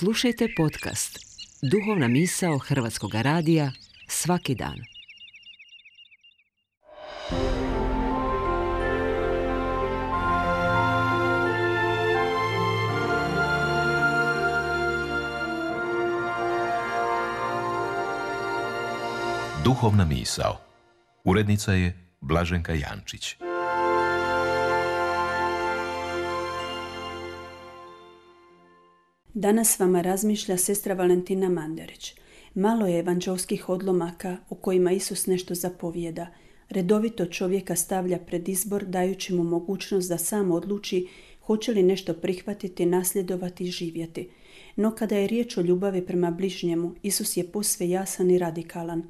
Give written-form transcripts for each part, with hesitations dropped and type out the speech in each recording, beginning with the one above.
Slušajte podcast Duhovna misao Hrvatskog radija svaki dan. Duhovna misao. Urednica je Blaženka Jančić. Danas vama razmišlja sestra Valentina Mandarić. Malo je evanđelskih odlomaka u kojima Isus nešto zapovijeda. Redovito čovjeka stavlja pred izbor dajući mu mogućnost da sam odluči hoće li nešto prihvatiti, nasljedovati i živjeti. No kada je riječ o ljubavi prema bližnjemu, Isus je posve jasan i radikalan.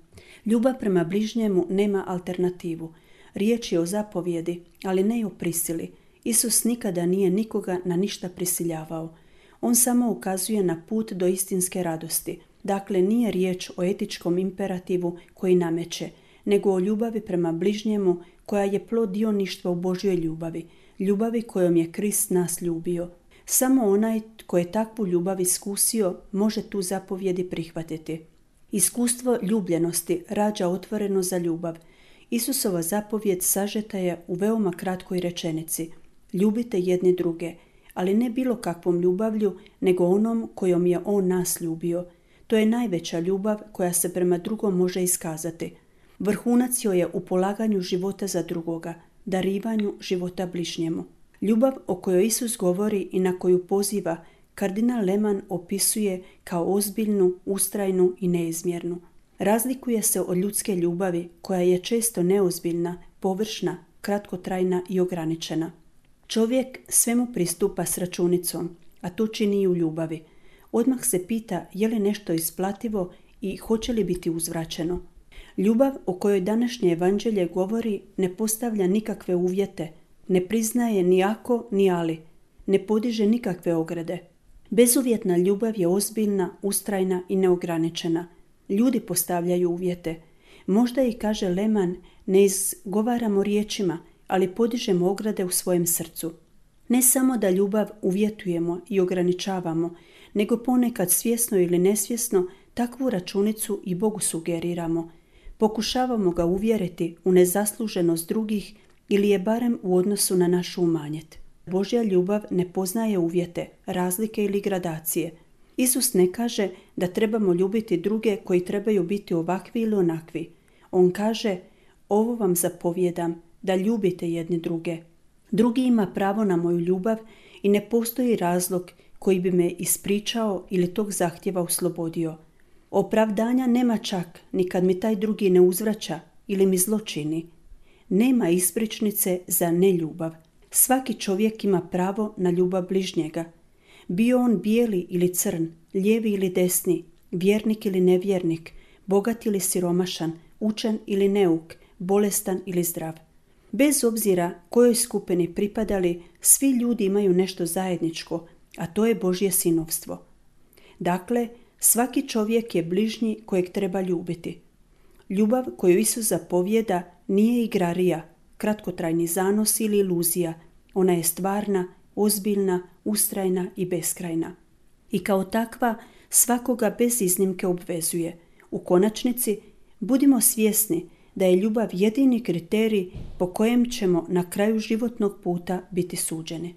Ljubav prema bližnjemu nema alternativu. Riječ je o zapovjedi, ali ne i o prisili. Isus nikada nije nikoga na ništa prisiljavao. On samo ukazuje na put do istinske radosti. Dakle, nije riječ o etičkom imperativu koji nameće, nego o ljubavi prema bližnjemu koja je plod dioništva u Božjoj ljubavi, ljubavi kojom je Krist nas ljubio. Samo onaj tko je takvu ljubav iskusio može tu zapovjedi prihvatiti. Iskustvo ljubljenosti rađa otvoreno za ljubav. Isusova zapovjed sažeta je u veoma kratkoj rečenici. Ljubite jedni druge, ali ne bilo kakvom ljubavlju, nego onom kojom je On nas ljubio. To je najveća ljubav koja se prema drugom može iskazati. Vrhunac joj je u polaganju života za drugoga, darivanju života bližnjemu. Ljubav o kojoj Isus govori i na koju poziva, kardinal Lehmann opisuje kao ozbiljnu, ustrajnu i neizmjernu. Razlikuje se od ljudske ljubavi koja je često neozbiljna, površna, kratkotrajna i ograničena. Čovjek svemu pristupa s računicom, a to čini i u ljubavi. Odmah se pita je li nešto isplativo i hoće li biti uzvraćeno. Ljubav o kojoj današnje evanđelje govori ne postavlja nikakve uvjete, ne priznaje ni ako ni ali, ne podiže nikakve ograde. Bezuvjetna ljubav je ozbiljna, ustrajna i neograničena. Ljudi postavljaju uvjete. Možda i kaže Lehmann, ne izgovaramo riječima, ali podižemo ograde u svojem srcu. Ne samo da ljubav uvjetujemo i ograničavamo, nego ponekad svjesno ili nesvjesno takvu računicu i Bogu sugeriramo. Pokušavamo ga uvjeriti u nezasluženost drugih ili je barem u odnosu na našu umanjet. Božja ljubav ne poznaje uvjete, razlike ili gradacije. Isus ne kaže da trebamo ljubiti druge koji trebaju biti ovakvi ili onakvi. On kaže, ovo vam zapovjedam, da ljubite jedni druge. Drugi ima pravo na moju ljubav i ne postoji razlog koji bi me ispričao ili tog zahtjeva oslobodio. Opravdanja nema čak ni kad mi taj drugi ne uzvraća ili mi zlo čini. Nema ispričnice za neljubav. Svaki čovjek ima pravo na ljubav bližnjega. Bio on bijeli ili crn, lijevi ili desni, vjernik ili nevjernik, bogat ili siromašan, učen ili neuk, bolestan ili zdrav. Bez obzira kojoj skupini pripadali, svi ljudi imaju nešto zajedničko, a to je Božje sinovstvo. Dakle, svaki čovjek je bližnji kojeg treba ljubiti. Ljubav koju Isus zapovijeda nije igrarija, kratkotrajni zanos ili iluzija. Ona je stvarna, ozbiljna, ustrajna i beskrajna. I kao takva svakoga bez iznimke obvezuje. U konačnici, budimo svjesni da je ljubav jedini kriterij po kojem ćemo na kraju životnog puta biti suđeni.